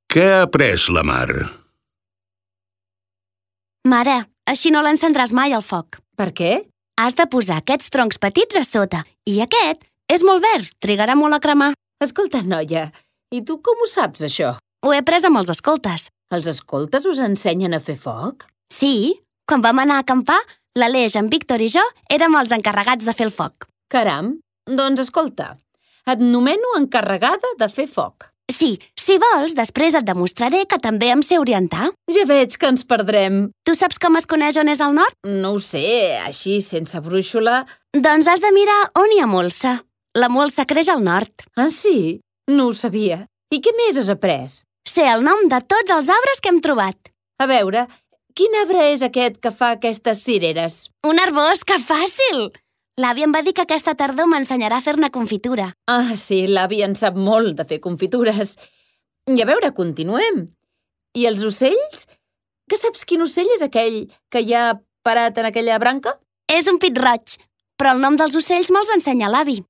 Què ha après la Mar? Mare, així no l'encendràs mai al foc. Per què? Has de posar aquests troncs petits a sota. I aquest és molt verd, trigarà molt a cremar. Escolta, noia, i tu com ho saps, això? Ho he après amb els escoltes. Els escoltes us ensenyen a fer foc? Sí, quan vam anar a acampar, l'Aleix, en Víctor i jo érem els encarregats de fer el foc. Caram, doncs escolta, et nomeno encarregada de fer foc. Sí, si vols, després et demostraré que també em sé orientar. Ja veig que ens perdrem. Tu saps com es coneix on és el nord? No ho sé, així, sense brúixola. Doncs has de mirar on hi ha molsa. La molsa creix al nord. Ah, sí? No ho sabia. I què més has après? Sé el nom de tots els arbres que hem trobat. A veure, quin arbre és aquest que fa aquestes cireres? Un arbós, que fàcil! L'avi em va dir que aquesta tardor m'ensenyarà a fer-ne confitura. Ah, sí, l'avi en sap molt de fer confitures. I a veure, continuem. I els ocells? Que saps quin ocell és aquell que hi ha parat en aquella branca? És un pit-roig, però el nom dels ocells me'ls ensenya l'avi.